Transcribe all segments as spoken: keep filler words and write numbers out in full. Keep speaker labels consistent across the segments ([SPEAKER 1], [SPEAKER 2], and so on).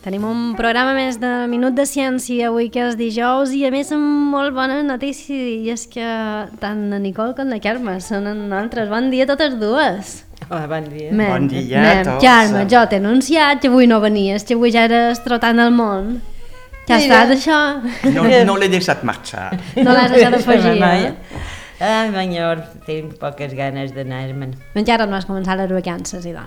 [SPEAKER 1] Tenim un programa més de Minut de Ciència avui que és dijous i a més amb molt bona notícia i és que tant la Nicole com la Carme són en nosaltres. Bon dia a totes dues.
[SPEAKER 2] Hola, bon dia.
[SPEAKER 3] Men, bon dia a tots.
[SPEAKER 1] Carme, jo t'he anunciat que avui no venies, que avui ja eres trotant el món. Ja
[SPEAKER 2] Mira.
[SPEAKER 1] estàs, això?
[SPEAKER 3] No, no l'he deixat marxar.
[SPEAKER 1] No l'has deixat afegir, eh?
[SPEAKER 2] Ah, senyor, tinc poques ganes d'anar-me'n.
[SPEAKER 1] Encara no has començat les vacances, idò.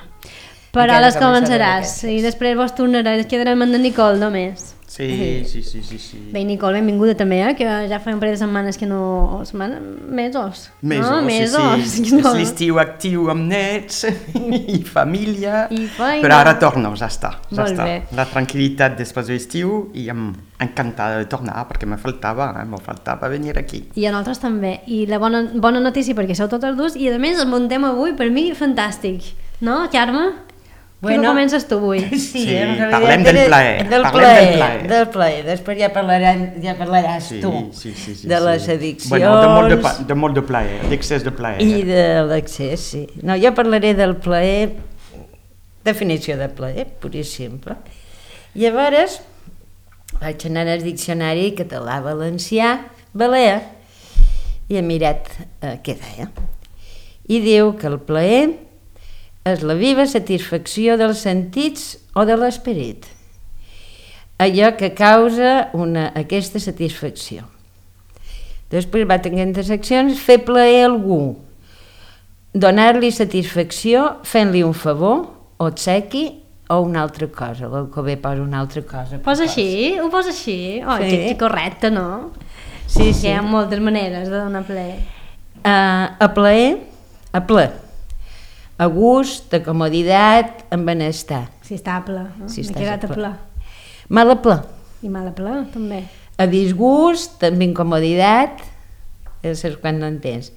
[SPEAKER 1] Però
[SPEAKER 2] Encara
[SPEAKER 1] les
[SPEAKER 2] començaré
[SPEAKER 1] començaràs
[SPEAKER 2] vacances.
[SPEAKER 1] i després vos tornaràs, quedarem amb la Nicole només.
[SPEAKER 3] Sí, sí, sí, sí, sí.
[SPEAKER 1] Bé, Nicole, benvinguda també, eh? Que ja fa un parell de setmanes que no... Setmana... Mesos.
[SPEAKER 3] Mesos,
[SPEAKER 1] no? Mesos.
[SPEAKER 3] sí, sí. És l'estiu actiu amb nets i família,
[SPEAKER 1] I feina.
[SPEAKER 3] però ara torno, ja està. Ja
[SPEAKER 1] Molt
[SPEAKER 3] està.
[SPEAKER 1] bé.
[SPEAKER 3] La tranquil·litat després de l'estiu i em encantada de tornar perquè me faltava, eh? me faltava venir aquí.
[SPEAKER 1] I a nosaltres també. I la bona, bona notícia perquè sou totes dues i a més el muntem avui per mi fantàstic. No, Carme? Bueno, que comences tu avui.
[SPEAKER 2] Sí,
[SPEAKER 3] Sí,
[SPEAKER 2] en realitat
[SPEAKER 3] parlem del
[SPEAKER 2] era-
[SPEAKER 3] plaer,
[SPEAKER 2] Del
[SPEAKER 3] parlem
[SPEAKER 2] plaer,
[SPEAKER 3] del plaer.
[SPEAKER 2] del plaer. Després ja, parlaràs, ja parlaràs
[SPEAKER 3] Sí,
[SPEAKER 2] tu
[SPEAKER 3] sí, sí, sí,
[SPEAKER 2] de
[SPEAKER 3] sí.
[SPEAKER 2] les addiccions
[SPEAKER 3] Bueno, de molt de, pa- de, molt de plaer, d'excés de plaer.
[SPEAKER 2] i de l'accés, sí. No, jo parlaré del plaer, definició de plaer, pur i simple. Llavors, vaig anar al diccionari català-valencià, balear, i he mirat eh, què deia. I diu que el plaer és la viva satisfacció dels sentits o de l'esperit. Allò que causa una, aquesta satisfacció. Després va tenir seccions, fer plaer a algú, donar-li satisfacció fent-li un favor, obsequi o una altra cosa. L'Alcover posa una altra cosa.
[SPEAKER 1] Posa així? Ho posa així? Oh,
[SPEAKER 2] Sí.
[SPEAKER 1] que, que correcte, no?
[SPEAKER 2] Sí,
[SPEAKER 1] Que
[SPEAKER 2] sí.
[SPEAKER 1] hi ha moltes maneres de donar plaer.
[SPEAKER 2] Uh, a plaer, a ple, a gust, a comoditat, amb benestar.
[SPEAKER 1] Si està a ple. No?
[SPEAKER 2] Si
[SPEAKER 1] M'he
[SPEAKER 2] estàs
[SPEAKER 1] quedat
[SPEAKER 2] a
[SPEAKER 1] a
[SPEAKER 2] ple.
[SPEAKER 1] ple.
[SPEAKER 2] Mal a ple.
[SPEAKER 1] I mal a ple, també.
[SPEAKER 2] A disgust, amb incomoditat, és quan no entens.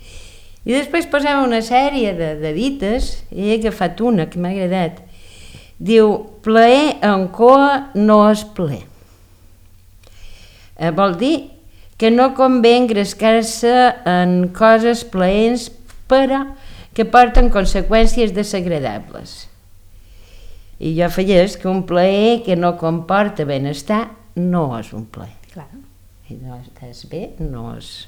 [SPEAKER 2] I després posem una sèrie de, de dites, i he agafat una que m'ha agradat. Diu, plaer en coa no és plaer. Eh, vol dir que no convé engrescar-se en coses plaents, però que porten conseqüències desagradables. I jo afegeix que un plaer que no comporta benestar no és un plaer.
[SPEAKER 1] Clar.
[SPEAKER 2] I no estàs bé, no és...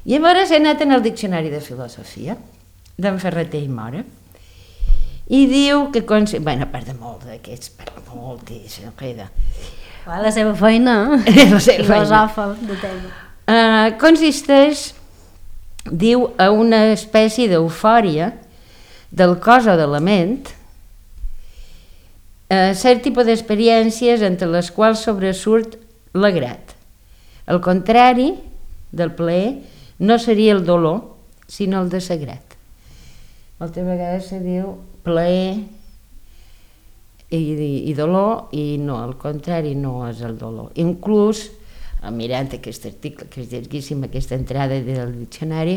[SPEAKER 2] Llavors he anat en el diccionari de filosofia d'en Ferreter i Mora i diu que... Cons... Bueno, a part de molt d'aquests, per moltíssim, queda.
[SPEAKER 1] La seva feina.
[SPEAKER 2] La seva feina.
[SPEAKER 1] Filosòfa de tema.
[SPEAKER 2] Uh, consisteix, diu, a una espècie d'eufòria del cos o de la ment, uh, cert tipus d'experiències entre les quals sobresurt l'agrat. El contrari del plaer no seria el dolor, sinó el desagrat. Moltes vegades se diu plaer i, i, i dolor, i no, al contrari, no és el dolor. Inclús, mirant aquest article, que és llarguíssim, aquesta entrada del diccionari,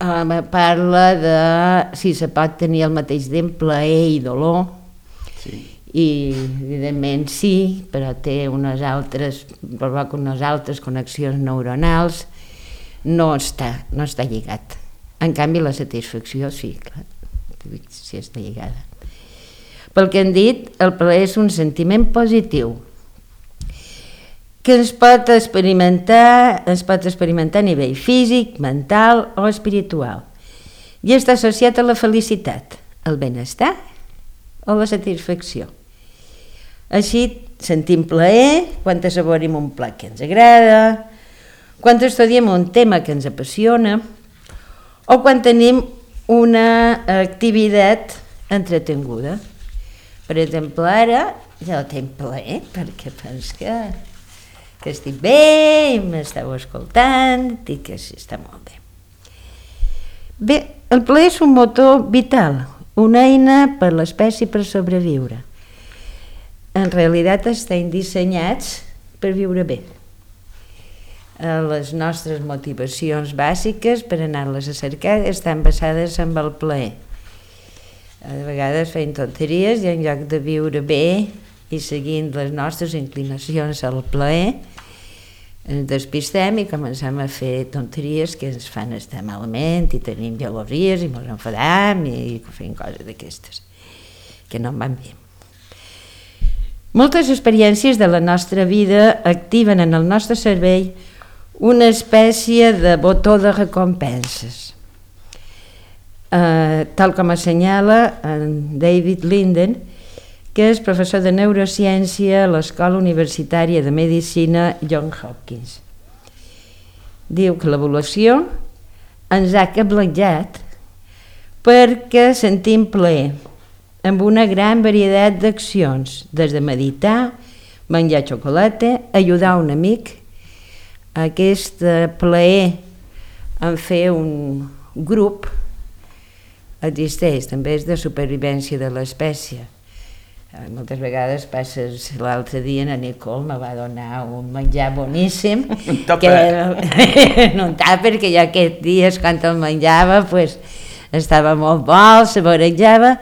[SPEAKER 2] eh, parla de si se pot tenir al mateix temps plaer i dolor,
[SPEAKER 3] Sí.
[SPEAKER 2] i evidentment sí, però té unes altres, provoca unes altres connexions neuronals, no està, no està lligat. En canvi la satisfacció sí, clar, sí està lligada. Pel que han dit, el plaer és un sentiment positiu que es pot experimentar, es pot experimentar a nivell físic, mental o espiritual i està associat a la felicitat, el benestar o la satisfacció. Així sentim plaer quan assaborim un plat que ens agrada, quan estudiem un tema que ens apassiona o quan tenim una activitat entretinguda. Per exemple, ara jo tinc plaer perquè penso que, que estic bé i m'esteu escoltant i que sí, està molt bé. Bé, el plaer és un motor vital, una eina per l'espècie per sobreviure. En realitat estem dissenyats per viure bé. Les nostres motivacions bàsiques per anar-les a cercar estan basades en el plaer. A vegades fem tonteries i en lloc de viure bé i seguint les nostres inclinacions al plaer, ens despistem i comencem a fer tonteries que ens fan estar malament i tenim gelosies i ens enfadam i fem coses d'aquestes que no en van bé. Moltes experiències de la nostra vida activen en el nostre cervell una espècie de botó de recompenses. Uh, tal com assenyala en David Linden, que és professor de neurociència a l'Escola Universitària de Medicina Johns Hopkins. Diu que l'evolució ens ha cabletjat perquè sentim plaer amb una gran varietat d'accions, des de meditar, menjar xocolata, ajudar un amic. Aquest plaer en fer un grup existeix, també és de supervivència de l'espècie. Moltes vegades passes, l'altre dia na Nicole me va donar un menjar boníssim,
[SPEAKER 3] un tàper,
[SPEAKER 2] un tàper que jo aquests dies quan el menjava pues, estava molt bo, saborejava,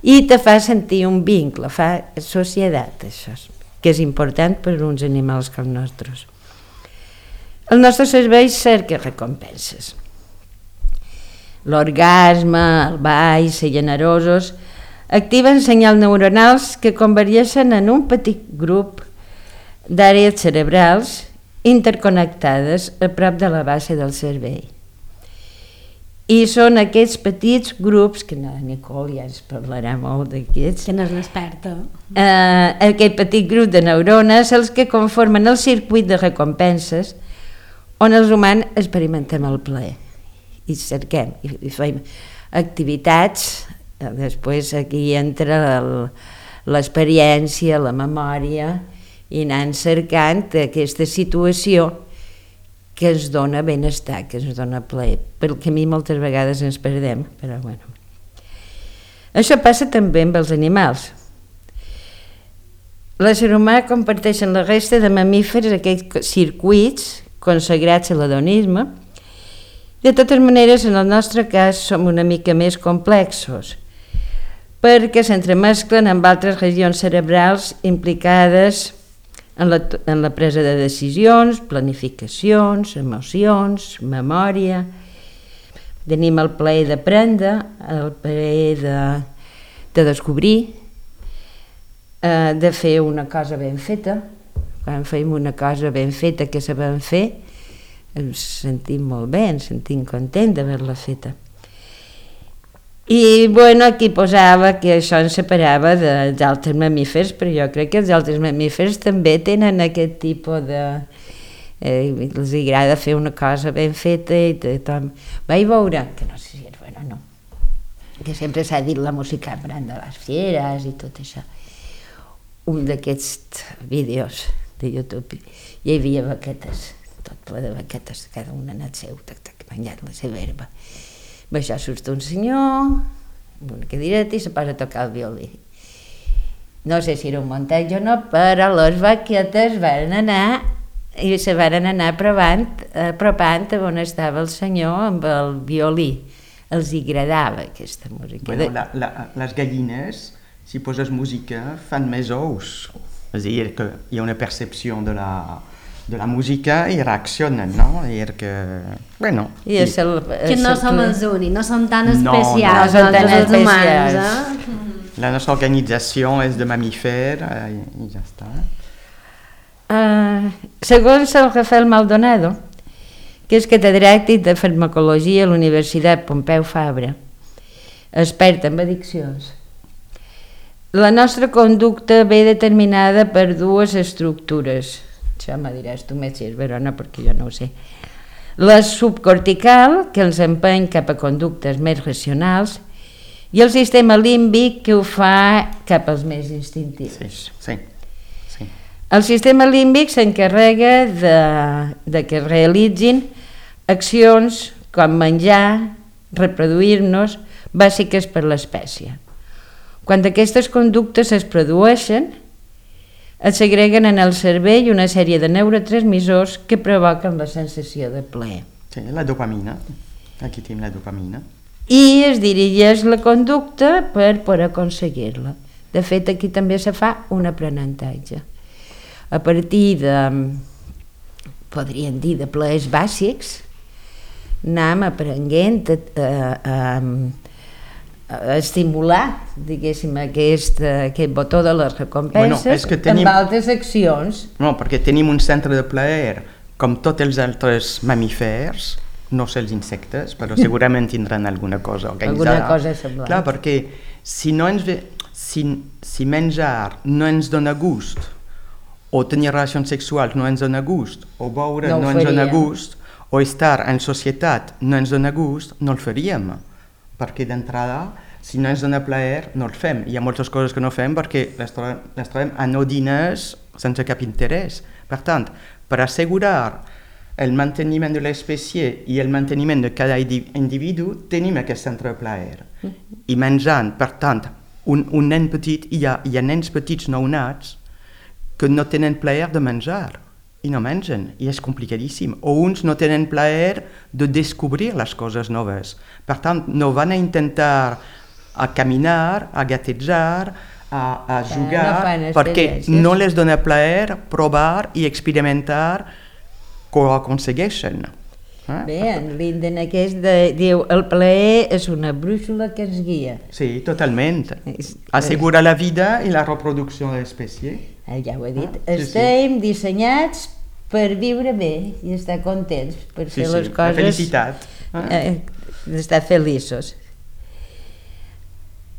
[SPEAKER 2] i te fa sentir un vincle, fa societat, això, que és important per uns animals com nostres. El nostre cervell cerca recompenses. L'orgasme, el ball, ser generosos, activen senyals neuronals que convergeixen en un petit grup d'àrees cerebrals interconnectades a prop de la base del cervell. I són aquests petits grups, que no, Nicole ja ens parlarà molt d'aquests,
[SPEAKER 1] que no és l'experta.
[SPEAKER 2] Eh, aquest petit grup de neurones, els que conformen el circuit de recompenses on els humans experimentem el plaer i cerquem, i, i fem activitats. Després aquí entra l'experiència, la memòria, i anant cercant aquesta situació que ens dona benestar, que ens dona plaer, pel camí moltes vegades ens perdem, però bueno. Això passa també amb els animals. L'ésser humà comparteix amb la resta de mamífers aquests circuits consagrats a l'hedonisme. De totes maneres, en el nostre cas, som una mica més complexos, perquè s'entremesclen amb altres regions cerebrals implicades en la, en la presa de decisions, planificacions, emocions, memòria. Tenim el plaer d'aprendre, el plaer de, de descobrir, eh, de fer una cosa ben feta. Quan fem una cosa ben feta que sabem fer, ens sentim molt bé, ens sentim contents d'haver-la feta. I bueno, aquí posava que això ens separava dels altres mamífers, però jo crec que els altres mamífers també tenen aquest tipus de... Eh, els agrada fer una cosa ben feta i tothom... Vaig veure, que no sé si és bueno o no, que sempre s'ha dit la música brand de les fieres i tot això. Un d'aquests vídeos de YouTube, hi havia vaquetes, tot ple de vaquetes, cada una en el seu, tac, tac, menjant la seva herba. Això surt un senyor amb una cadireta i se posa a tocar el violí. No sé si era un muntatge o no, però les vaquetes van anar i se van anar apropant, apropant on estava el senyor amb el violí. Els agradava aquesta música.
[SPEAKER 3] Bueno, la, la, les gallines, si poses música, fan més ous. És a dir, que hi ha una percepció de la... de la música i reaccionen, no? I que, bueno...
[SPEAKER 2] I és el,
[SPEAKER 1] que no som els únics, no som tan especials,
[SPEAKER 2] no, no som tan
[SPEAKER 1] els
[SPEAKER 2] especials.
[SPEAKER 1] humans. Eh?
[SPEAKER 3] La nostra organització és de mamífer i, i ja està.
[SPEAKER 2] Uh, segons el Rafael Maldonado, que és catedràtic de farmacologia a la Universitat Pompeu Fabra, expert en addiccions, la nostra conducta ve determinada per dues estructures. Això me diràs tu més si és verona, perquè jo no ho sé. La subcortical, que ens empeny cap a conductes més racionals, i el sistema límbic, que ho fa cap als més instintius.
[SPEAKER 3] Sí, sí, sí.
[SPEAKER 2] El sistema límbic s'encarrega de, de que es realitzin accions com menjar, reproduir-nos, bàsiques per l'espècie. Quan aquestes conductes es produeixen, es segreguen en el cervell una sèrie de neurotransmissors que provoquen la sensació de plaer.
[SPEAKER 3] Sí, la dopamina. Aquí tenim la dopamina.
[SPEAKER 2] I es dirigeix la conducta per poder aconseguir-la. De fet, aquí també se fa un aprenentatge. A partir de, podríem dir, de plaers bàsics, anem aprenent a, a, a, estimular, diguéssim, aquest, aquest botó de les recompenses bueno, que tenim... amb altres accions.
[SPEAKER 3] No, perquè tenim un centre de plaer com tots els altres mamífers, no sé els insectes, però segurament tindran alguna cosa organitzada.
[SPEAKER 2] Alguna cosa semblant.
[SPEAKER 3] Clar, perquè si, no ens ve, si, si menjar no ens dona gust, o tenir relacions sexuals no ens dona gust, o beure no, no ens dona gust, o estar en societat no ens dona gust, no el faríem. Perquè d'entrada, si no ens dona plaer, no el fem. Hi ha moltes coses que no fem perquè les trobem, les trobem anodines sense cap interès. Per tant, per assegurar el manteniment de l'espècie i el manteniment de cada individu, tenim aquest centre de plaer. I menjant, per tant, un, un nen petit, hi ha, hi ha nens petits nounats que no tenen plaer de menjar i no mengen, i és complicadíssim. O uns no tenen plaer de descobrir les coses noves. Per tant, no van a intentar a caminar, a gatejar, a, a jugar, no perquè no les dona plaer provar i experimentar que ho aconsegueixen. Eh?
[SPEAKER 2] Bé, en Linden aquest de, diu, el plaer és una brúixola que ens guia.
[SPEAKER 3] Sí, totalment. Assegura la vida i la reproducció de l'espècie.
[SPEAKER 2] Eh, ja ho he dit. Ah, sí, Estem sí. dissenyats per viure bé i estar contents, per fer sí, les
[SPEAKER 3] sí.
[SPEAKER 2] coses...
[SPEAKER 3] La felicitat. Ah.
[SPEAKER 2] Eh, d'estar feliços.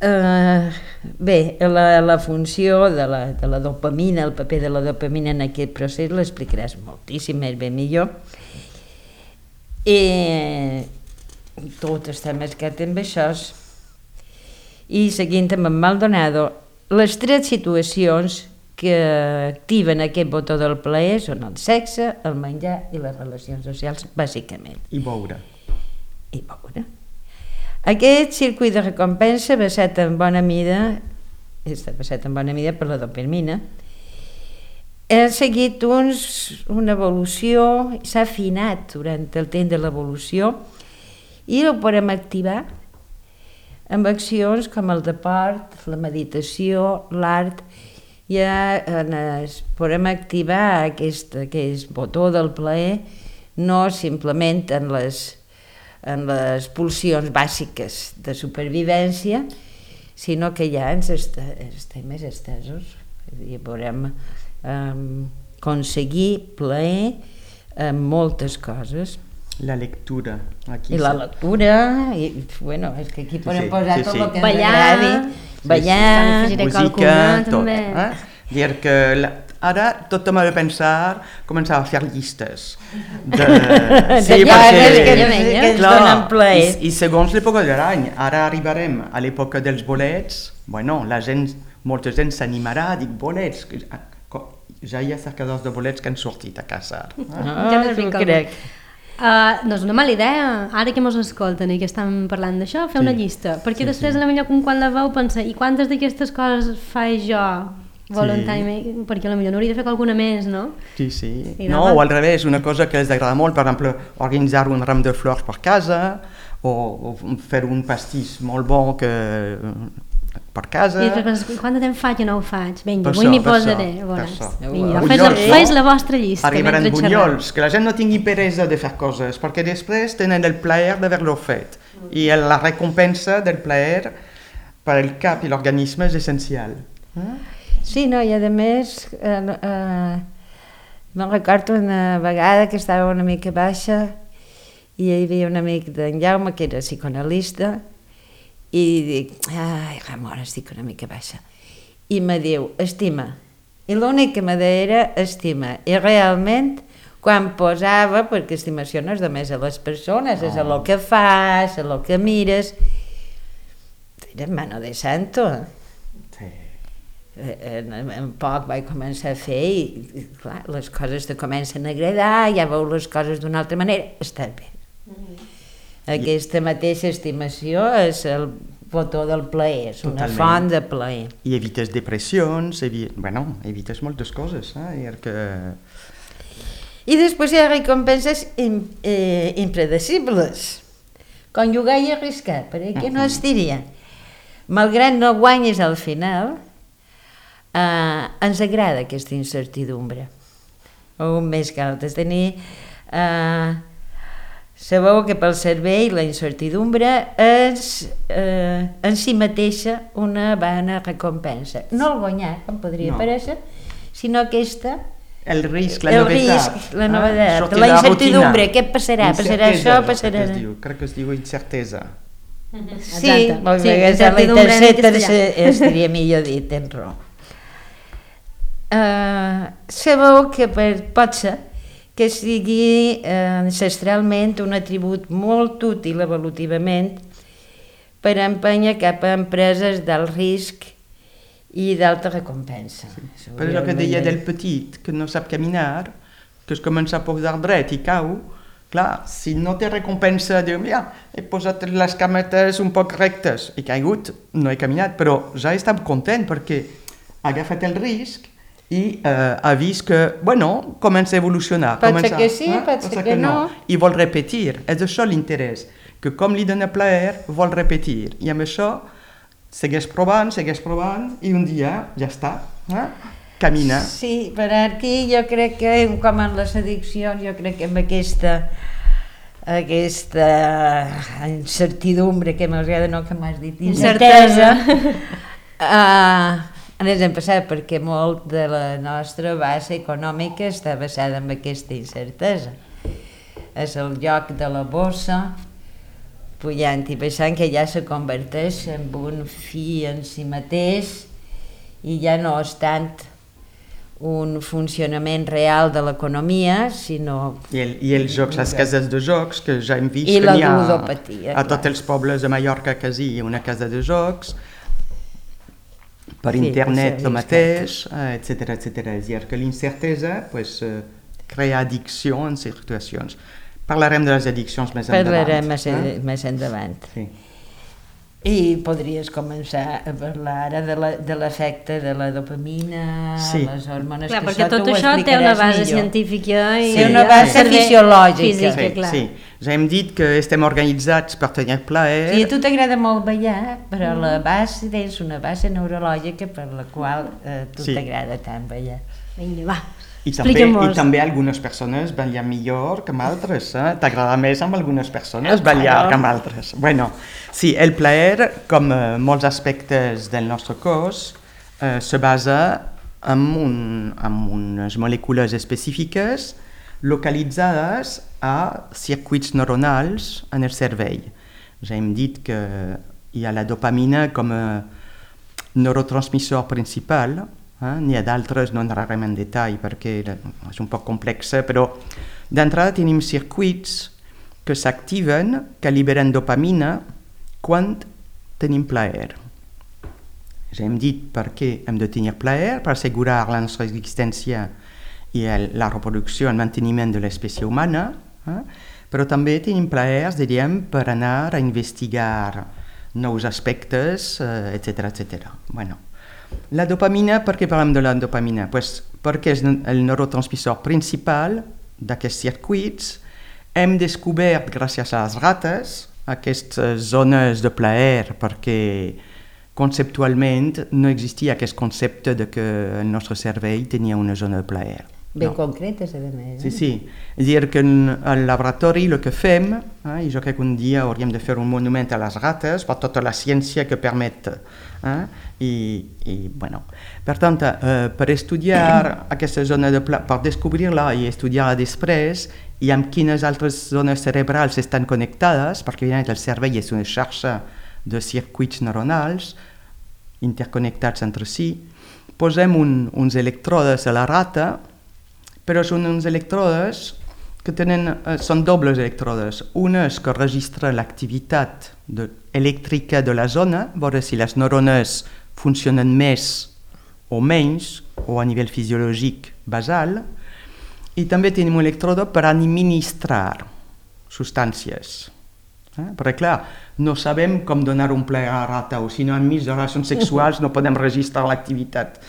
[SPEAKER 2] Uh, bé, la, la funció de la, de la dopamina, el paper de la dopamina en aquest procés l'explicaràs moltíssim més ben millor. I tot està mescat amb això. I seguint amb en Maldonado, les tres situacions que activen aquest botó del plaer són el sexe, el menjar i les relacions socials, bàsicament.
[SPEAKER 3] I beure.
[SPEAKER 2] I beure. Aquest circuit de recompensa basat en bona mida, està basat en bona mida per la dopamina, ha seguit uns, una evolució, s'ha afinat durant el temps de l'evolució i ho podem activar amb accions com el deport, la meditació, l'art. Ja es podem activar aquest, aquest botó del plaer no simplement en les, en les pulsions bàsiques de supervivència, sinó que ja ens està, estem més estesos. I podem um, aconseguir plaer en moltes coses.
[SPEAKER 3] La lectura. Aquí
[SPEAKER 2] I la lectura, i, bueno, és que aquí podem sí, posar sí, tot sí. el que ens
[SPEAKER 1] ballar,
[SPEAKER 2] agradi. Ballar,
[SPEAKER 3] sí, sí. música, tot. Eh? Dir que la, ara tothom ha de pensar, començar a fer llistes. De...
[SPEAKER 2] Sí, de perquè, que, que ens
[SPEAKER 3] clar,
[SPEAKER 2] donen plaer.
[SPEAKER 3] I, I segons l'època de l'any, ara arribarem a l'època dels bolets, bueno, la gent, molta gent s'animarà a dir bolets, ja hi ha cercadors de bolets que han sortit a casa. Eh?
[SPEAKER 2] Ah, ja no crec.
[SPEAKER 1] Uh, no és una mala idea, ara que mos escolten i que estan parlant d'això, fer sí. una llista, perquè sí, després sí. potser quan la veu pensa i quantes d'aquestes coses faig jo voluntàriament, sí. perquè potser n'hauria de fer alguna més, no?
[SPEAKER 3] Sí, sí. No, o al revés, una cosa que els agrada molt, per exemple, organitzar un ram de flors per casa o, o fer un pastís molt bo que... per casa...
[SPEAKER 1] I després, quant de temps faig o no ho faig? Vinga, avui m'hi posaré. Vinga, fes, fes la vostra llista.
[SPEAKER 3] Arribaran bunyols, que la gent no tingui peresa de fer coses, perquè després tenen el plaer d'haver-lo fet. I la recompensa del plaer per al cap i l'organisme és essencial.
[SPEAKER 2] Sí, no, i a més, eh, eh, me'n recordo una vegada que estava una mica baixa i hi havia un amic d'en Jaume que era psicoanalista i dic, ai, Ramon, estic una mica baixa. I me diu, estima. I l'únic que me deia era estima. I realment, quan posava, perquè estimació no és només a les persones, és a lo que fas, a lo que mires, era mano de santo. Sí. En, en poc vaig començar a fer i, i clar, les coses te comencen a agradar, ja veus les coses d'una altra manera, estàs bé. Mm-hmm. Aquesta mateixa estimació és el botó del plaer, és una Totalment. Font de plaer.
[SPEAKER 3] I evites depressions, evi... bueno, evites moltes coses. Eh? Que...
[SPEAKER 2] I després hi ha recompenses im, eh, impredecibles, com jugar i arriscar, perquè no es diria. Malgrat no guanyes al final, eh, ens agrada aquesta incertidumbre. Un més que altres. Tenir... Eh, Sabeu que pel cervell la incertidumbre és eh, en si mateixa una bona recompensa. No el guanyar, com podria
[SPEAKER 3] No.
[SPEAKER 2] parèixer, sinó aquesta...
[SPEAKER 3] El risc, la
[SPEAKER 2] el
[SPEAKER 3] novetat.
[SPEAKER 2] risc, la novetat,
[SPEAKER 3] Sortir
[SPEAKER 2] la
[SPEAKER 3] de
[SPEAKER 2] incertidumbre,
[SPEAKER 3] rutina.
[SPEAKER 2] què passarà? Passarà
[SPEAKER 3] Incertesa,
[SPEAKER 2] això,
[SPEAKER 3] jo crec
[SPEAKER 2] passarà...
[SPEAKER 3] que es diu, crec que es diu incertesa.
[SPEAKER 2] Sí,
[SPEAKER 1] Exacte.
[SPEAKER 2] molt
[SPEAKER 1] Sí,
[SPEAKER 2] bé, és la
[SPEAKER 1] incertidumbre en
[SPEAKER 2] tercera
[SPEAKER 1] castellà.
[SPEAKER 2] estaria millor dit, tens raó. Uh, sabeu que per, pot ser que sigui uh, ancestralment un atribut molt útil evolutivament per empènyer cap a empreses d'alt risc i d'alta recompensa. Sí.
[SPEAKER 3] Per això que deia del petit, que no sap caminar, que es comença a posar dret i cau, clar, si no té recompensa, diu, mira, he posat les cametes un poc rectes, he caigut, no he caminat, però ja està content perquè ha agafat el risc i eh, ha vist que, bueno, comença a evolucionar.
[SPEAKER 2] Pot ser
[SPEAKER 3] comença,
[SPEAKER 2] que sí, pot ser que no.
[SPEAKER 3] I vol repetir, és això l'interès, que com li dona plaer, vol repetir. I amb això segueix provant, segueix provant, i un dia ja està, eh? Camina.
[SPEAKER 2] Sí, per aquí jo crec que, com en les addiccions, jo crec que amb aquesta aquesta incertidumbre que m'agrada, no que m'has dit, incertesa, uh, ens hem passat perquè molt de la nostra base econòmica està basada en aquesta incertesa. És el lloc de la bossa, pujant i baixant, que ja se converteix en un fi en si mateix i ja no és tant un funcionament real de l'economia, sinó...
[SPEAKER 3] I, el, I els jocs, les cases de jocs, que ja hem vist
[SPEAKER 2] I
[SPEAKER 3] que
[SPEAKER 2] la
[SPEAKER 3] n'hi ha
[SPEAKER 2] ludopatia,
[SPEAKER 3] a
[SPEAKER 2] clar.
[SPEAKER 3] tots els pobles de Mallorca quasi hi ha una casa de jocs, per
[SPEAKER 2] Sí,
[SPEAKER 3] internet
[SPEAKER 2] sí,
[SPEAKER 3] el mateix, etcètera, etcètera. És a dir, que l'incertesa pues, eh, crea addicció en situacions. Parlarem de les addiccions més endavant.
[SPEAKER 2] Parlarem més,
[SPEAKER 3] eh?
[SPEAKER 2] més endavant.
[SPEAKER 3] Sí.
[SPEAKER 2] I podries començar a parlar ara de l'efecte de la dopamina,
[SPEAKER 3] Sí.
[SPEAKER 2] les hormones...
[SPEAKER 1] Clar,
[SPEAKER 2] que
[SPEAKER 1] perquè
[SPEAKER 2] això
[SPEAKER 1] tot
[SPEAKER 2] tu ho
[SPEAKER 1] això té una
[SPEAKER 2] explicaràs
[SPEAKER 1] base
[SPEAKER 2] millor.
[SPEAKER 1] científica i
[SPEAKER 2] Té una base
[SPEAKER 1] servei
[SPEAKER 2] fisiològica.
[SPEAKER 1] física,
[SPEAKER 3] Sí,
[SPEAKER 1] clar.
[SPEAKER 3] sí. Ja hem dit que estem organitzats per tenir plaer.
[SPEAKER 2] Sí, a tu t'agrada molt ballar, però la base tens una base neurològica per la qual eh, tu
[SPEAKER 3] Sí.
[SPEAKER 2] t'agrada tant ballar.
[SPEAKER 1] Vinga, va.
[SPEAKER 3] I també, I
[SPEAKER 1] Expliquem-nos.
[SPEAKER 3] també algunes persones ballen millor que amb altres. Eh? T'agrada més amb algunes persones
[SPEAKER 2] Ah,
[SPEAKER 3] ballar
[SPEAKER 2] claro.
[SPEAKER 3] que amb altres. Bueno, sí, el plaer, com eh, molts aspectes del nostre cos, eh, se basa en, un, en unes molècules específiques localitzades a circuits neuronals en el cervell. Ja hem dit que hi ha la dopamina com a neurotransmissor principal. Eh? N'hi ha d'altres, no entrarem en detall perquè és un poc complexa, però d'entrada tenim circuits que s'activen, que liberen dopamina quan tenim plaer. Ja hem dit per què hem de tenir plaer, per assegurar la nostra existència i el, la reproducció, el manteniment de l'espècie humana, eh? Però també tenim plaer, diríem, per anar a investigar nous aspectes, eh, etcètera, etcètera. Bueno, la dopamina, per què parlem de la dopamina? Pues perquè és el neurotransmissor principal d'aquests circuits. Hem descobert, gràcies a les rates, aquestes zones de plaer, perquè conceptualment no existia aquest concepte de que el nostre cervell tenia una zona de plaer.
[SPEAKER 2] Ben
[SPEAKER 3] No.
[SPEAKER 2] concretes, a més.
[SPEAKER 3] Sí, sí. És a dir, que en, al laboratori el que fem, eh, i jo crec que un dia hauríem de fer un monument a les rates per tota la ciència que permet. Eh, i, i, bueno. Per tant, eh, per estudiar aquesta zona de plaer, per descobrir-la i estudiar-la després, i amb quines altres zones cerebrals estan connectades, perquè evidentment el cervell és una xarxa de circuits neuronals interconnectats entre si, posem un, uns electrodes a la rata, però són uns electrodes que tenen, eh, són dobles electrodes. Una és que registra l'activitat de, elèctrica de la zona, veure si les neurones funcionen més o menys, o a nivell fisiològic basal, i també tenim un elèctrode per administrar substàncies. Eh? Perquè clar, no sabem com donar un plaer a la rata, o si no enmig de relacions sexuals no podem registrar l'activitat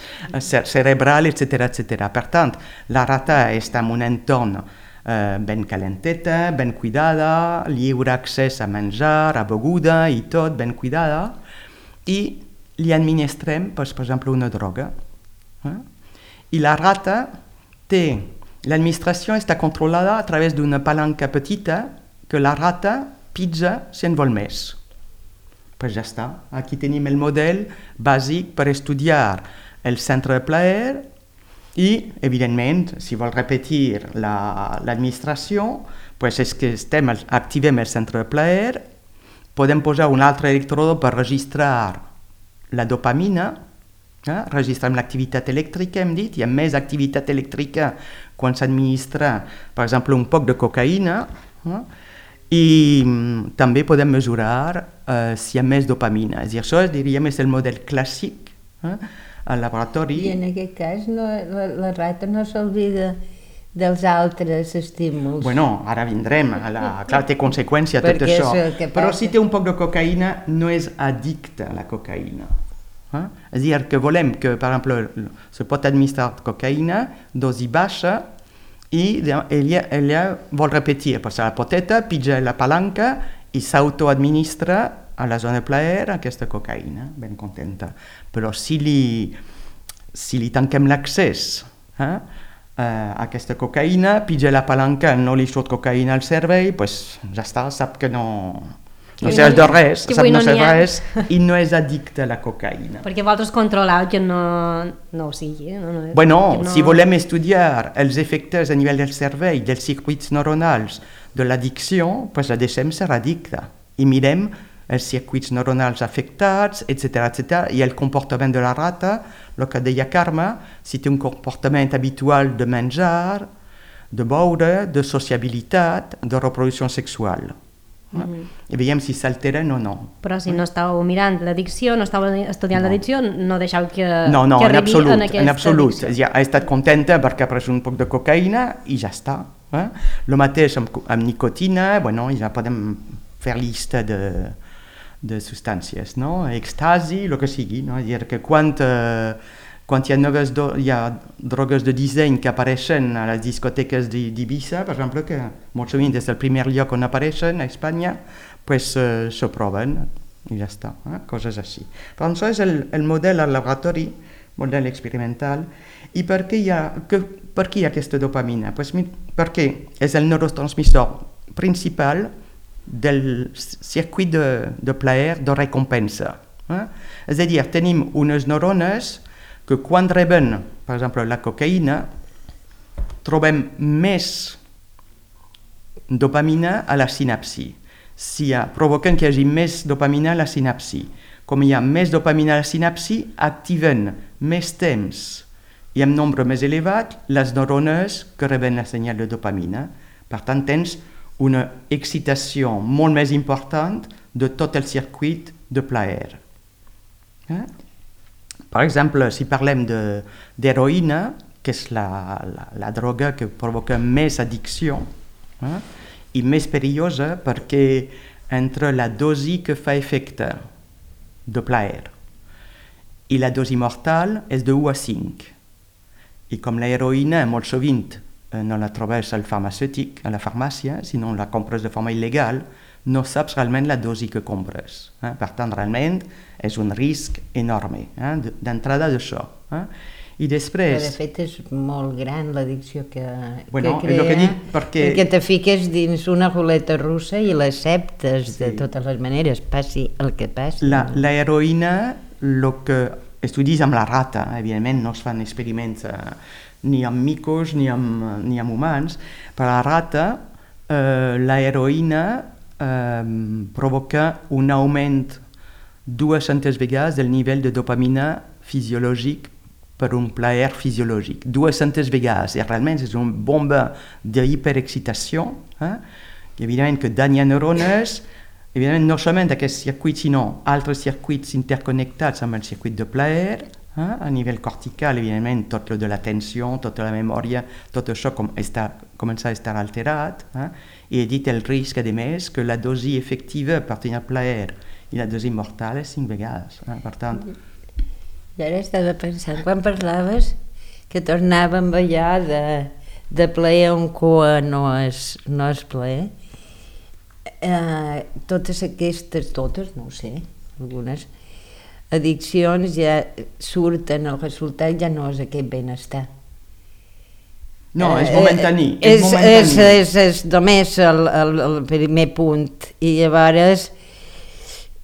[SPEAKER 3] cerebral, etcètera, etcètera. Per tant, la rata està en un entorn eh, ben calenteta, ben cuidada, lliure accés a menjar, a beguda i tot, ben cuidada, i li administrem, per exemple, una droga. Eh? I la rata té, l'administració està controlada a través d'una palanca petita que la rata pizza si en vol més. Pues ja està. Aquí tenim el model bàsic per estudiar el centre de plaer i, evidentment, si vol repetir la, l'administració, pues és que estem, activem el centre de plaer, podem posar un altre electrode per registrar la dopamina, eh? registrem l'activitat elèctrica, hem dit, hi ha més activitat elèctrica quan s'administra, per exemple, un poc de cocaïna, eh? I mm, també podem mesurar eh, si hi ha més dopamina. És a dir, això diríem és el model clàssic eh, al laboratori.
[SPEAKER 2] I en aquest cas no, la, la rata no s'olvida dels altres estímuls.
[SPEAKER 3] Bueno, ara vindrem, a la, clar, té conseqüència tot
[SPEAKER 2] Perquè
[SPEAKER 3] això,
[SPEAKER 2] és el que
[SPEAKER 3] però
[SPEAKER 2] passa.
[SPEAKER 3] si té un poc de cocaïna no és addicte a la cocaïna. Eh? És a dir, que volem que, per exemple, se pot administrar cocaïna, dosi baixa, i ella, ella vol repetir, passa la poteta, pitja la palanca i s'autoadministra a la zona de plaer aquesta cocaïna, ben contenta. Però si li, si li tanquem l'accés eh, a aquesta cocaïna, pitja la palanca, no li surt cocaïna al cervell, pues ja està, sap que no... No serveix de res, sap no serveix res i no és addicte a la cocaïna.
[SPEAKER 1] Perquè vosaltres controleu que no, no ho sigui. No, no,
[SPEAKER 3] bueno,
[SPEAKER 1] no...
[SPEAKER 3] si volem estudiar els efectes a nivell del cervell, dels circuits neuronals de l'addicció, pues la deixem ser addicta i mirem els circuits neuronals afectats, etcètera, etcètera, i el comportament de la rata, el que deia Carme, si té un comportament habitual de menjar, de beure, de sociabilitat, de reproducció sexual. Mm-hmm. I veiem si s'alteren o no.
[SPEAKER 1] Però si no estàu mirant l'addicció, no estàu estudiant no. l'addicció, no deixeu que,
[SPEAKER 3] no, no,
[SPEAKER 1] que
[SPEAKER 3] en
[SPEAKER 1] arribi
[SPEAKER 3] absolut,
[SPEAKER 1] en aquesta
[SPEAKER 3] en absolut.
[SPEAKER 1] addicció.
[SPEAKER 3] Ja ha estat contenta perquè ha pres un poc de cocaïna i ja està. Eh? El mateix amb, amb nicotina, bueno, ja podem fer llista de, de substàncies, no? Èxtasi, el que sigui, no? És a dir, que quan, eh, quan hi ha noves do, hi ha drogues de disseny que apareixen a les discoteques d'Ibiza, per exemple, que molt sovint és el primer lloc on apareixen a Espanya, pues eh, s'ho proven i ja està, eh? Coses així. Però això és el, el model al laboratori, model experimental. I per què hi ha, que, per què hi ha aquesta dopamina? Pues, perquè és el neurotransmissor principal del circuit de, de plaer, de recompensa. Eh? És a dir, tenim unes neurones que quan reben, per exemple, la cocaïna, trobem més dopamina a la sinapsi. Si ha, provoquen que hi hagi més dopamina a la sinapsi. Com hi ha més dopamina a la sinapsi, activen més temps i amb nombre més elevat les neurones que reben la senyal de dopamina. Per tant, tens una excitació molt més important de tot el circuit de plaer. Eh? Per exemple, si parlem d'heroïna, que és la, la, la droga que provoca més addicció eh, i més perillosa perquè entre la dosi que fa efecte de plaer i la dosi mortal és de u a cinc. I com la heroïna molt sovint eh, no la trobes al farmacèutic, a la farmàcia, sinó la compres de forma il·legal, no saps realment la dosi que compres. Eh? Per tant, realment és un risc enorme eh? d'entrada d'això. Eh? I després...
[SPEAKER 2] Però de fet és molt gran l'addicció que,
[SPEAKER 3] bueno,
[SPEAKER 2] que crea,
[SPEAKER 3] que dic perquè...
[SPEAKER 2] perquè te fiques dins una ruleta russa i l'acceptes sí. de totes les maneres, passi el que passi.
[SPEAKER 3] La, la heroïna, el que estudis amb la rata, evidentment no es fan experiments eh, ni amb micos ni amb, ni amb humans, per la rata eh, la heroïna eh, provoca un augment dues-centes vegades del nivell de dopamina fisiològic per un plaer fisiològic. dues-centes vegades. I realment és una bomba d'hiperexcitació, eh? evidentment que danya neurones, evidentment no solament aquests circuits, sinó altres circuits interconnectats amb el circuit de plaer, eh? a nivell cortical, evidentment, tot el de l'atenció, tota la memòria, tot això com està, comença a estar alterat, eh? i he dit el risc, a més, que la dosi efectiva per tenir plaer i la dosi mortal és cinc vegades. Eh? Per tant...
[SPEAKER 2] I ara estava pensant, quan parlaves que tornàvem allà de, de plaer on cua no és, no és plaer, eh, totes aquestes, totes, no ho sé, algunes addiccions ja surten, el resultat ja no és aquest benestar.
[SPEAKER 3] No, és momentaní.
[SPEAKER 2] Eh, és,
[SPEAKER 3] és, momentaní.
[SPEAKER 2] és, és, és només el, el, el primer punt. I llavors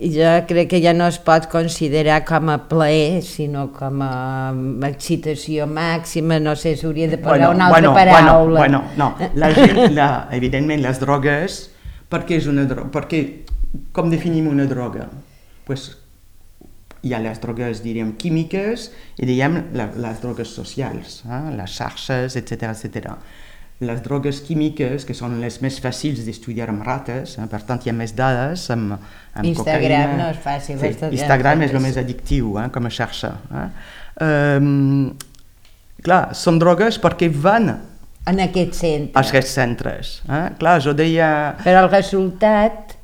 [SPEAKER 2] jo crec que ja no es pot considerar com a plaer, sinó com a excitació màxima, no sé, s'hauria de posar bueno, una altra
[SPEAKER 3] bueno,
[SPEAKER 2] paraula.
[SPEAKER 3] Bueno, bueno, no, la gent, la, evidentment, les drogues, per què és una droga? Perquè, com definim una droga? Pues, hi ha les drogues, diríem, químiques i diguem la, les drogues socials, eh? Les xarxes, etcètera, etcètera. Les drogues químiques, que són les més fàcils d'estudiar amb rates, eh? Per tant hi ha més dades amb, amb
[SPEAKER 2] Instagram
[SPEAKER 3] cocaïna.
[SPEAKER 2] no és fàcil.
[SPEAKER 3] Sí, Instagram és el més addictiu, eh? Com a xarxa. Eh? Um, clar, són drogues perquè van
[SPEAKER 2] en aquest centre.
[SPEAKER 3] a aquests centres. Eh? Clar, jo deia...
[SPEAKER 2] Però el resultat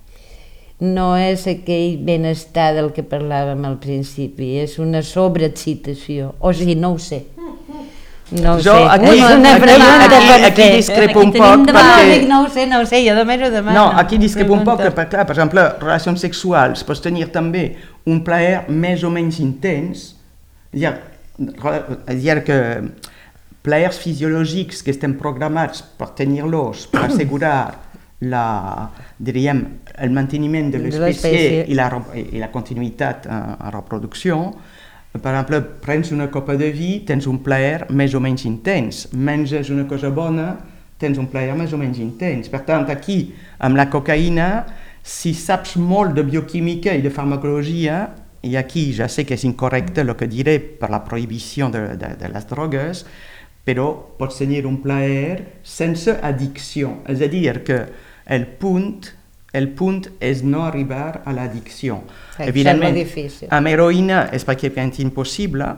[SPEAKER 2] no és aquell benestar del que parlàvem al principi, és una sobreexcitació, o sigui, no ho sé. No ho
[SPEAKER 3] jo,
[SPEAKER 2] sé,
[SPEAKER 3] aquí,
[SPEAKER 2] és una
[SPEAKER 3] aquí,
[SPEAKER 2] pregunta
[SPEAKER 3] aquí,
[SPEAKER 2] per
[SPEAKER 3] aquí
[SPEAKER 2] fer.
[SPEAKER 3] discrepo un
[SPEAKER 1] Aquí
[SPEAKER 3] poc
[SPEAKER 1] tenim debat.
[SPEAKER 3] perquè...
[SPEAKER 2] No, no ho sé, no ho sé, jo només ho demano.
[SPEAKER 3] No, aquí discrepo un poc,
[SPEAKER 2] Pregunta.
[SPEAKER 3] perquè, clar, per exemple, relacions sexuals, pots tenir també un plaer més o menys intens, és a dir, és a dir que plaers fisiològics que estem programats per tenir-los, per assegurar la, diríem, el manteniment de l'espècie i la, i la continuïtat en, en reproducció. Per exemple, prens una copa de vi, tens un plaer més o menys intens. Menges una cosa bona, tens un plaer més o menys intens. Per tant, aquí, amb la cocaïna, si saps molt de bioquímica i de farmacologia, i aquí ja sé que és incorrecte el que diré per la prohibició de, de, de les drogues, però pots tenir un plaer sense addicció. És a dir, que el punt, el punt és no arribar a l'addicció.
[SPEAKER 2] Sí,
[SPEAKER 3] evidentment,
[SPEAKER 2] és molt difícil.
[SPEAKER 3] amb heroïna és pràcticament impossible,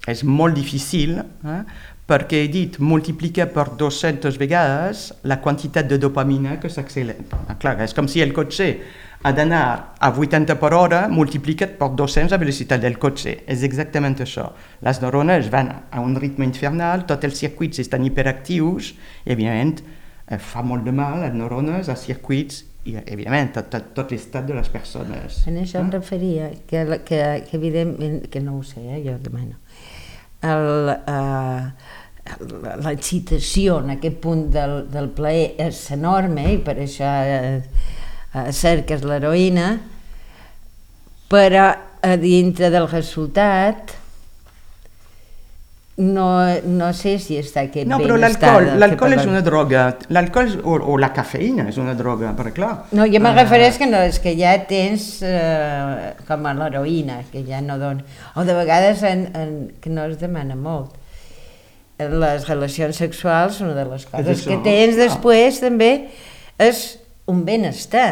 [SPEAKER 3] és molt difícil, eh? Perquè he dit, multiplica per dues-centes vegades la quantitat de dopamina que s'accelera. Clar, és com si el cotxe ha d'anar a vuitanta per hora multiplicat per dos-cents la velocitat del cotxe. És exactament això. Les neurones van a un ritme infernal, tots els circuits estan hiperactius i, evidentment, fa molt de mal a les neurones, als circuits i, evidentment, a tot, tot l'estat de les persones.
[SPEAKER 2] En això em referia, que, que, que evidentment, que no ho sé, eh, jo demano, el, uh, l'excitació en aquest punt del, del plaer és enorme i per això uh, uh, cerques l'heroïna, però a dintre del resultat no, no sé si està aquest
[SPEAKER 3] no, però
[SPEAKER 2] benestar.
[SPEAKER 3] l'alcohol, l'alcohol és una droga, l'alcohol o, o la cafeïna és una droga, perquè clar...
[SPEAKER 2] No, jo me
[SPEAKER 3] uh,
[SPEAKER 2] refereix que no, és que ja tens eh, com a l'heroïna, que ja no dona... O de vegades en, en, que no es demana molt. Les relacions sexuals, una de les coses que tens després també és un benestar.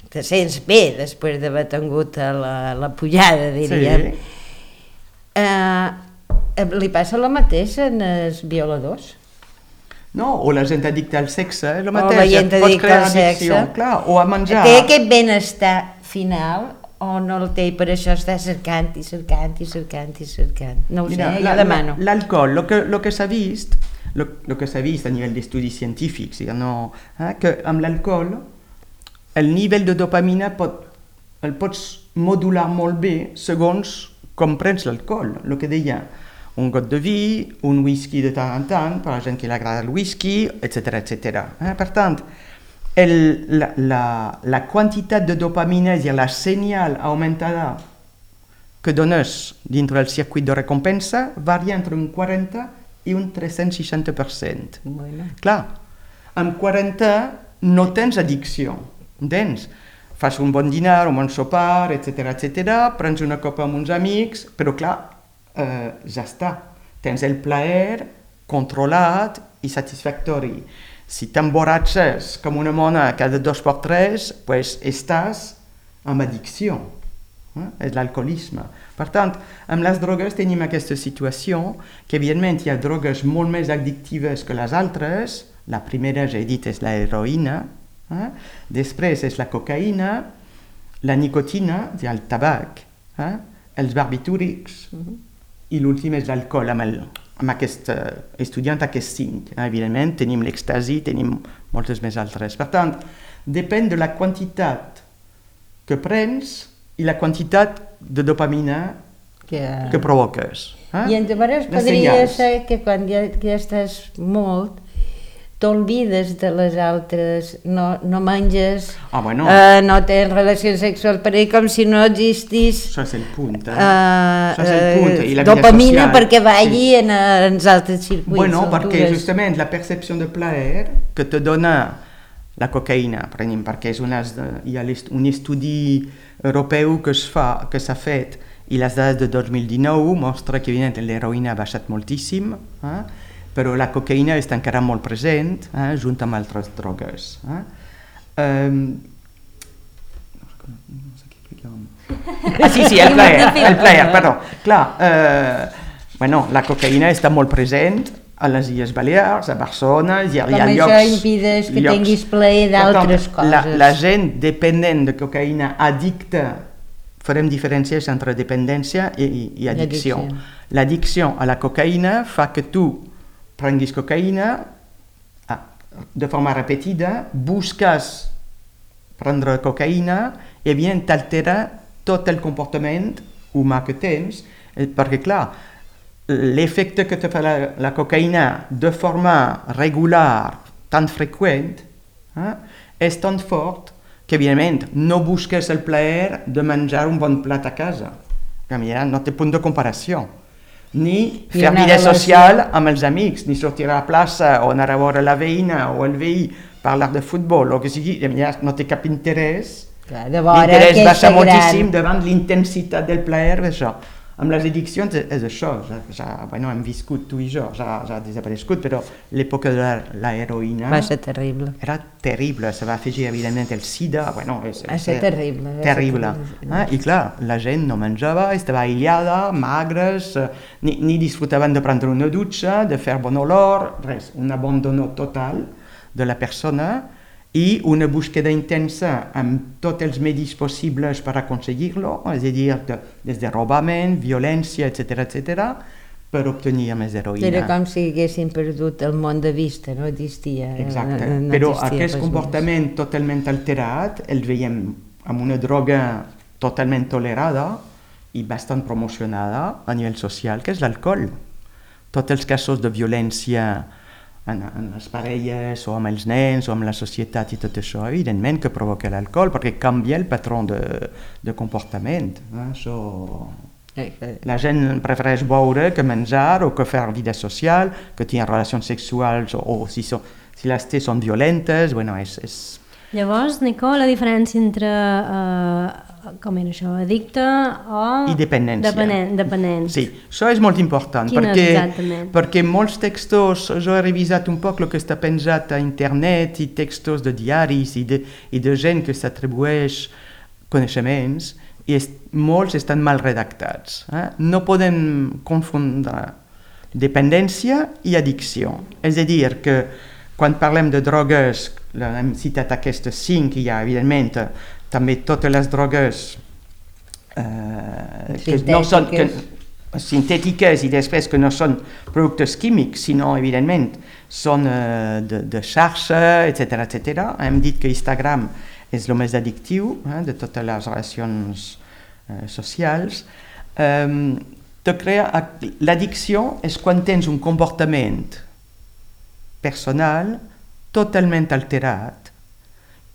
[SPEAKER 2] Te sents bé després d'haver tingut la, la pujada, diríem. Sí. Eh, li passa el mateix en els violadors?
[SPEAKER 3] No, o la gent addicta al sexe, el
[SPEAKER 2] O
[SPEAKER 3] mateix,
[SPEAKER 2] la gent
[SPEAKER 3] et pots
[SPEAKER 2] addicta
[SPEAKER 3] crear
[SPEAKER 2] al sexe.
[SPEAKER 3] addicció, clar, o a menjar.
[SPEAKER 2] Té aquest benestar final o no el té i per això està cercant i cercant i cercant i cercant? No ho
[SPEAKER 3] Mira,
[SPEAKER 2] sé,
[SPEAKER 3] la,
[SPEAKER 2] jo demano.
[SPEAKER 3] L'alcohol, el que, lo que s'ha vist, lo, lo que s'ha vist a nivell d'estudis científics, no, eh, que amb l'alcohol el nivell de dopamina pot, el pots modular molt bé segons com prens l'alcohol, el que deia, un got de vi, un whisky de tant en tant, per a la gent que li agrada el whisky, etcètera, etcètera. Eh? Per tant, el, la, la, la quantitat de dopamina, és a dir, la senyal augmentada que dones dintre del circuit de recompensa, varia entre un quaranta i un tres-cents seixanta per cent.
[SPEAKER 2] Bueno.
[SPEAKER 3] Clar, amb quaranta no tens addicció, entens? Fas un bon dinar, un bon sopar, etcètera, etcètera, prens una copa amb uns amics, però clar, eh, ja està. Tens el plaer controlat i satisfactori. Si t'emborratxes com una mona cada dos per tres, pues estàs amb addicció. Eh? És l'alcoholisme. Per tant, amb les drogues tenim aquesta situació que, evidentment, hi ha drogues molt més addictives que les altres. La primera, ja he dit, és l'heroïna. Eh? Després és la cocaïna, la nicotina, és a dir, el tabac, eh? els barbitúrics, uh-huh. i l'últim és l'alcohol, amb, el, amb aquest uh, estudiant, aquest cinc. Eh? Evidentment, tenim l'èxtasi, tenim moltes més altres. Per tant, depèn de la quantitat que prens i la quantitat de dopamina
[SPEAKER 2] que,
[SPEAKER 3] que provoques. Eh?
[SPEAKER 2] I llavors podria ser que quan ja, ja estàs molt, t'olvides de les altres, no, no menges,
[SPEAKER 3] ah, bueno.
[SPEAKER 2] uh, no tens relacions sexuals per ell, com si no existís
[SPEAKER 3] això és el punt, eh?
[SPEAKER 2] uh,
[SPEAKER 3] això és el punt. I la
[SPEAKER 2] dopamina
[SPEAKER 3] social,
[SPEAKER 2] perquè vagi
[SPEAKER 3] sí.
[SPEAKER 2] en, en els altres circuits.
[SPEAKER 3] Bueno, perquè justament la percepció de plaer que te dona la cocaïna, per exemple, perquè és una, hi ha un estudi europeu que es fa, que s'ha fet, i les dades de dos mil dinou mostra que evidentment l'heroïna ha baixat moltíssim, eh? però la cocaïna està encara molt present, eh, junt amb altres drogues. Eh? Um, no sé què explicàvem. Ah, sí, sí, el plaer, el plaer, perdó. Clar, eh, bueno, la cocaïna està molt present a les Illes Balears, a Barcelona, hi ha, hi ha
[SPEAKER 2] Com
[SPEAKER 3] llocs...
[SPEAKER 2] això impedeix que
[SPEAKER 3] llocs,
[SPEAKER 2] tinguis plaer d'altres coses.
[SPEAKER 3] La, la gent dependent de cocaïna, addicta, farem diferències entre dependència i, i addicció. L'addicció a la cocaïna fa que tu prenguis cocaïna de forma repetida, busques prendre cocaïna i evidentment t'altera tot el comportament humà que tens, perquè clar, l'efecte que te fa la, la cocaïna de forma regular, tan freqüent, eh, és tan fort que evidentment no busques el plaer de menjar un bon plat a casa. No té punt de comparació. Ni fer vida social amb els amics, ni sortir a la plaça o anar a veure la veïna o el veí, parlar de futbol o que sigui, no té cap interès. L'interès baixa moltíssim davant l'intensitat del plaer d'això. Amb les addiccions és això, ja, ja, bueno, hem viscut tu i jo, ja, ja ha desaparegut, però l'època de l'heroïna
[SPEAKER 2] va ser terrible.
[SPEAKER 3] Era terrible, se va afegir evidentment el sida, bueno, és,
[SPEAKER 2] va ser terrible.
[SPEAKER 3] terrible. Ah, I clar, la gent no menjava, estava aïllada, magres, ni, ni disfrutaven de prendre una dutxa, de fer bon olor, res, un abandono total de la persona i una búsqueda intensa amb tots els medis possibles per aconseguir-lo, és a dir, de, des de robament, violència, etcètera, etcètera, per obtenir més heroïna.
[SPEAKER 2] Era com si haguessin perdut el món de vista, no existia.
[SPEAKER 3] Exacte,
[SPEAKER 2] no, no
[SPEAKER 3] però
[SPEAKER 2] existia
[SPEAKER 3] aquest comportament més. Totalment alterat el veiem amb una droga totalment tolerada i bastant promocionada a nivell social, que és l'alcohol. Tots els casos de violència En, en les parelles o amb els nens o amb la societat i tot això, evidentment que provoca l'alcohol perquè canvia el patró de, de comportament. Eh? Això... La gent prefereix beure que menjar o que fer vida social, que tenir relacions sexuals o, o si, so, si les té són violentes, bueno, és... és...
[SPEAKER 1] Llavors, Nico, la diferència entre, uh, com era això, addicte o...
[SPEAKER 3] I dependència.
[SPEAKER 1] Dependent, dependent.
[SPEAKER 3] Sí, això és molt important.
[SPEAKER 1] Quina
[SPEAKER 3] perquè,
[SPEAKER 1] exactament?
[SPEAKER 3] Perquè molts textos, jo he revisat un poc el que està penjat a internet i textos de diaris i de, i de gent que s'atribueix coneixements i est, molts estan mal redactats. Eh? No podem confondre dependència i addicció. És a dir, que quan parlem de drogues, hem citat aquestes cinc, hi ha evidentment també totes les drogues eh, que no són que, sintètiques i després que no són productes químics, sinó evidentment són eh, de, de xarxa, etcètera, etcètera. Hem dit que Instagram és el més addictiu eh, de totes les relacions eh, socials. Um, L'addicció és quan tens un comportament personal totalment alterat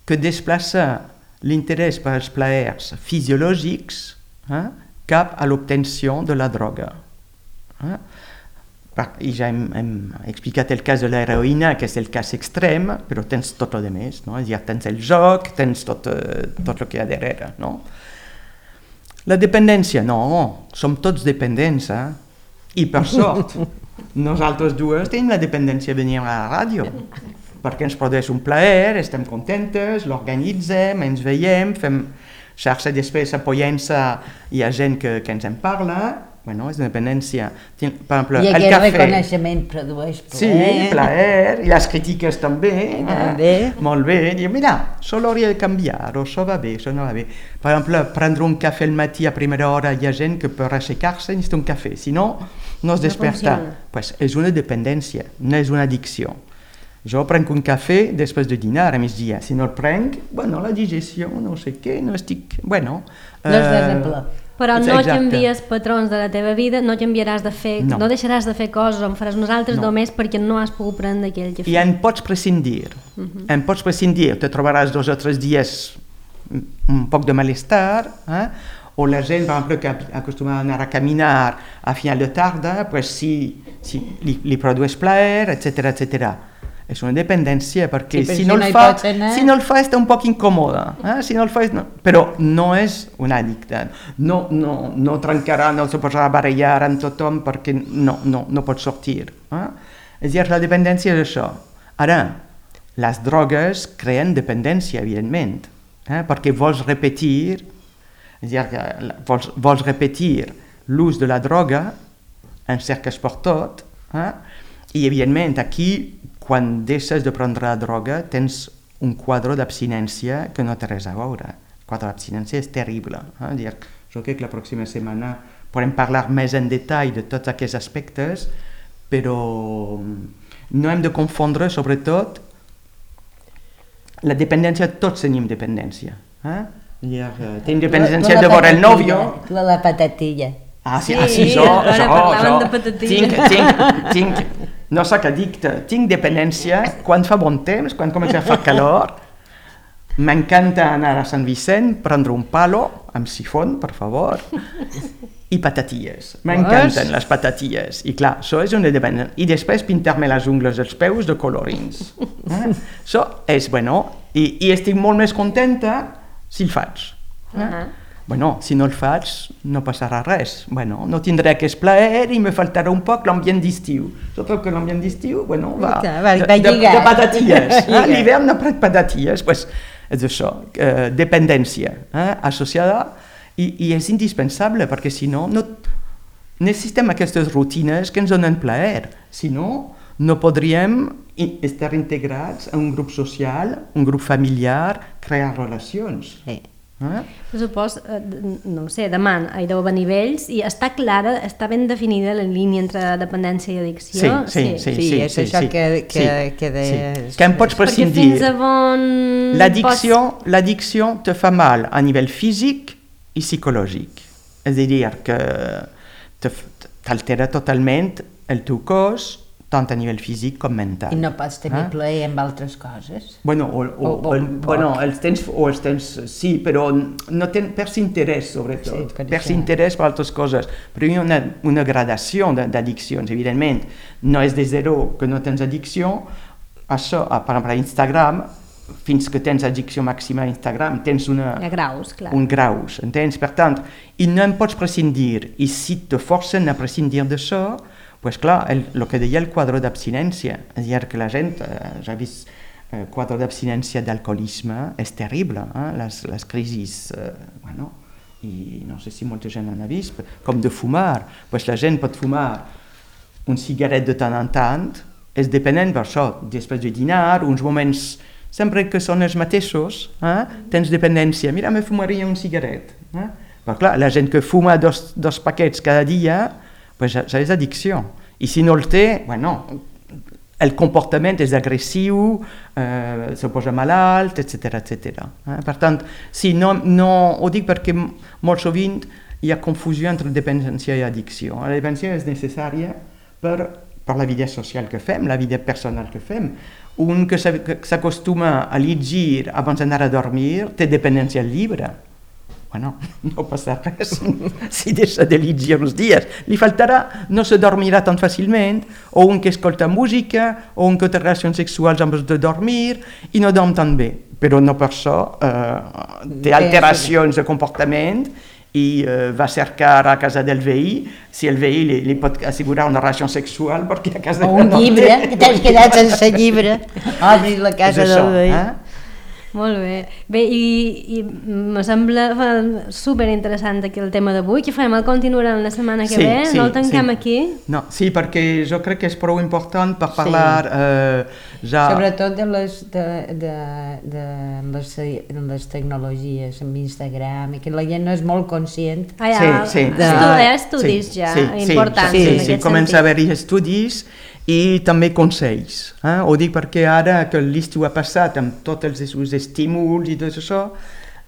[SPEAKER 3] que desplaça l'interès per als plaers fisiològics eh, cap a l'obtenció de la droga. Eh? I ja hem, hem explicat el cas de l'heroïna, que és el cas extrem, però tens tot el més, no? És a dir, tens el joc, tens tot, tot el que hi ha darrere. No? La dependència, no, som tots dependents, eh? I per sort, nosaltres dues tenim la dependència de venir a la ràdio, perquè ens produeix un plaer, estem contentes, l'organitzem, ens veiem, fem xarxa després apoyant-se, hi ha gent que, que ens en parla, bueno, és una dependència. Per exemple,
[SPEAKER 2] I
[SPEAKER 3] el
[SPEAKER 2] aquest
[SPEAKER 3] cafè,
[SPEAKER 2] reconeixement produeix plaer.
[SPEAKER 3] Sí, plaer, i les crítiques també,
[SPEAKER 2] també.
[SPEAKER 3] Eh? Molt bé, diu, mira, això l'hauria de canviar, o això va bé, això no va bé. Per exemple, prendre un cafè al matí a primera hora, hi ha gent que per aixecar-se necessita un cafè, si no, no es desperta. Pues és una dependència, no és una addicció. Jo prenc un cafè després de dinar a migdia. Si no el prenc, bueno, la digestió, no sé què, no estic... Bueno,
[SPEAKER 2] no estàs en pla.
[SPEAKER 1] Però no
[SPEAKER 3] Exacte.
[SPEAKER 1] canvies patrons de la teva vida, no canviaràs de fer, no,
[SPEAKER 3] No.
[SPEAKER 1] no deixaràs de fer coses o en faràs unes altres
[SPEAKER 3] No.
[SPEAKER 1] només perquè no has pogut prendre aquell que
[SPEAKER 3] I en pots prescindir,
[SPEAKER 1] Mhm.
[SPEAKER 3] en pots prescindir, te trobaràs dos o tres dies un poc de malestar, eh? O la gent, per exemple, que acostuma a anar a caminar a final de tarda, pues sí, sí, li, li produeix plaer, etcètera, etcètera. És una dependència, perquè
[SPEAKER 2] Sí, però
[SPEAKER 3] si,
[SPEAKER 2] si
[SPEAKER 3] no
[SPEAKER 2] no
[SPEAKER 3] el
[SPEAKER 2] hi
[SPEAKER 3] fa,
[SPEAKER 2] pots anar-
[SPEAKER 3] si no el fa està un poc incòmode, eh? Si no el fa, és, no, però no és un addicte, no, no, no trencarà, no se posarà a barallar amb tothom perquè no, no, no pot sortir. Eh? És a dir, la dependència és això. Ara, les drogues creen dependència, evidentment, eh? Perquè vols repetir, és a dir, que la- vols, vols repetir l'ús de la droga, en cerques per tot, eh? I evidentment aquí, quan deixes de prendre la droga, tens un quadre d'abstinència que no té res a veure. El quadre d'abstinència és terrible. Eh? Dir, jo crec que la pròxima setmana podem parlar més en detall de tots aquests aspectes, però no hem de confondre, sobretot, la dependència, tots tenim dependència. Eh? Dir, eh, tenim dependència de veure el nòvio.
[SPEAKER 2] La, la patatilla.
[SPEAKER 3] Ah, sí,
[SPEAKER 1] Sí,
[SPEAKER 3] ah, sí, jo,
[SPEAKER 1] ara
[SPEAKER 3] jo,
[SPEAKER 1] parlaven
[SPEAKER 3] jo,
[SPEAKER 1] de patatilles.
[SPEAKER 3] tinc, tinc, tinc, no sóc addicte, tinc dependència quan fa bon temps, quan comença a fer calor, m'encanta anar a Sant Vicent, prendre un palo, amb sifon, per favor, i patatilles, m'encanten les patatilles, i clar, això és una dependència, i després pintar-me les ungles dels peus de colorins, eh? Això és, bueno, i, i estic molt més contenta si el faig, eh?
[SPEAKER 1] Uh-huh.
[SPEAKER 3] Bueno, si no el faig, no passarà res. Bueno, no tindré aquest plaer i me faltarà un poc l'ambient d'estiu. Sobretot que l'ambient d'estiu, bueno, va,
[SPEAKER 2] Va, va
[SPEAKER 3] de, de,
[SPEAKER 2] lligar.
[SPEAKER 3] de patatilles.
[SPEAKER 2] Va
[SPEAKER 3] Eh? L'hivern no prenc patatilles, pues, és això, eh, dependència eh? associada i, i és indispensable perquè si no, no necessitem aquestes rutines que ens donen plaer. Si no, no podríem i- estar integrats en un grup social, un grup familiar, crear relacions.
[SPEAKER 2] Sí.
[SPEAKER 3] Eh?
[SPEAKER 1] Supos, eh, no ho sé, demà hi deu haver nivells i està clara, està ben definida la línia entre dependència i addicció?
[SPEAKER 3] Sí, sí, sí.
[SPEAKER 2] Sí, és això que- que-
[SPEAKER 3] sí,
[SPEAKER 2] que deies.
[SPEAKER 3] sí. Que en pots
[SPEAKER 1] Perquè
[SPEAKER 3] prescindir.
[SPEAKER 1] fins a on...
[SPEAKER 3] L'addicció, l'addicció te fa mal a nivell físic i psicològic. És a dir, que te f- t'altera totalment el teu cos, tant a nivell físic com mental.
[SPEAKER 2] I no pots tenir
[SPEAKER 3] Eh?
[SPEAKER 2] plaer amb altres coses.
[SPEAKER 3] Bueno, o, o,
[SPEAKER 2] O- o
[SPEAKER 3] o, el,
[SPEAKER 2] poc.
[SPEAKER 3] bueno els tens, o els tens, sí, però no ten, perds interès, sobretot.
[SPEAKER 2] Sí, per
[SPEAKER 3] perds
[SPEAKER 2] això.
[SPEAKER 3] interès per altres coses. Però hi ha una, una gradació de- d'addiccions, evidentment. No és de zero que no tens addicció. Això, ah, per exemple, a Instagram, fins que tens addicció màxima a Instagram, tens una,
[SPEAKER 1] Hi ha graus, clar.
[SPEAKER 3] un graus, entens? Per tant, i no en pots prescindir. I si te forcen a prescindir d'això, pues clar, el, el que deia el quadre d'abstinència, és a dir, que la gent, eh, ja he vist el quadre d'abstinència d'alcoholisme, és terrible, eh? les, les crisis, eh, bueno, i no sé si molta gent n'ha vist, com de fumar, pues la gent pot fumar un cigarret de tant en tant, és dependent per això, després de dinar, uns moments, sempre que són els mateixos, eh? tens dependència, mira, me fumaria un cigarret. Eh? Però clar, la gent que fuma dos, dos paquets cada dia, pues ja, ja és addicció. I si no el té, bueno, el comportament és agressiu, eh, se posa malalt, etcètera, etcètera. Eh? Per tant, sí, no, no, ho dic perquè molt sovint hi ha confusió entre dependència i addicció. La dependència és necessària per, per la vida social que fem, la vida personal que fem. Un que s'ha- que s'acostuma a llegir abans d'anar a dormir té dependència al llibre. Bueno, no passa res si deixa de llegir uns dies. Li faltarà, no se dormirà tan fàcilment, o un que escolta música, o un que té relacions sexuals abans de dormir, i no dorm tan bé. Però no per això eh, té alteracions de comportament i eh, va cercar a casa del veí, si el veí li, li pot assegurar una relació sexual, perquè a casa
[SPEAKER 2] O un
[SPEAKER 3] no
[SPEAKER 2] llibre,
[SPEAKER 3] té.
[SPEAKER 2] que t'has quedat sense llibre. Obris la casa
[SPEAKER 3] És això,
[SPEAKER 2] del veí.
[SPEAKER 3] eh?
[SPEAKER 1] Molt bé. Bé, i, i me sembla eh, superinteressant aquí el tema d'avui. Què farem? El continuarem la setmana que
[SPEAKER 3] Sí,
[SPEAKER 1] ve?
[SPEAKER 3] sí,
[SPEAKER 1] no el tanquem
[SPEAKER 3] sí.
[SPEAKER 1] aquí?
[SPEAKER 3] No, sí, perquè jo crec que és prou important per parlar eh, ja...
[SPEAKER 2] Sobretot de les, de, de, de les, de les tecnologies, amb Instagram, i que la gent no és molt conscient.
[SPEAKER 1] Ah, ja,
[SPEAKER 3] Sí, sí,
[SPEAKER 1] estu-
[SPEAKER 3] sí.
[SPEAKER 1] Hi ha estudis
[SPEAKER 3] Sí,
[SPEAKER 1] ja
[SPEAKER 3] sí,
[SPEAKER 1] importants
[SPEAKER 3] sí,
[SPEAKER 1] en
[SPEAKER 3] sí, sí,
[SPEAKER 1] aquest
[SPEAKER 3] comença a
[SPEAKER 1] sentit.
[SPEAKER 3] haver-hi estudis i també consells. Eh? Ho dic perquè ara que l'estiu ha passat amb tots els seus estímuls i tot això,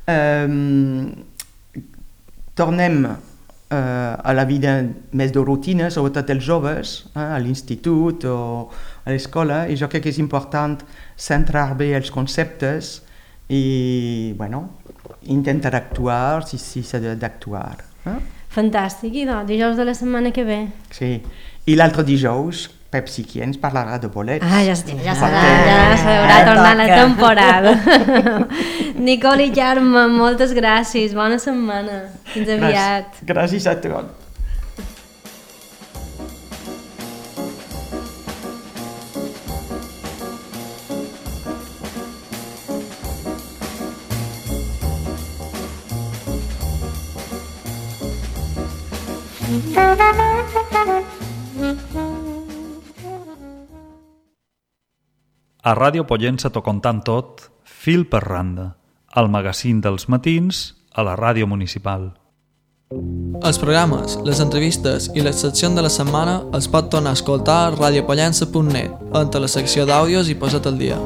[SPEAKER 3] eh, tornem eh, a la vida més de rutina, sobretot els joves, eh, a l'institut o a l'escola, i jo crec que és important centrar bé els conceptes i, bueno, intentar actuar si s'ha si d'actuar. Eh?
[SPEAKER 1] Fantàstic, i doncs, dijous de la setmana que ve.
[SPEAKER 3] Sí, i l'altre dijous Pepsi qui ens parlarà de bolets.
[SPEAKER 1] Ah, ja, ja serà, ja s'haurà ah, tornat la temporada. Nicole i Carme, moltes gràcies, bona setmana, fins aviat.
[SPEAKER 3] Gràcies a tots.
[SPEAKER 4] A Ràdio Pollença t'ho contant tot, fil per randa, al magazín dels matins a la ràdio municipal.
[SPEAKER 5] Els programes, les entrevistes i les seccions de la setmana els pot tornar a escoltar a radiopollença punt net, entre la secció d'àudios i Posa't al dia.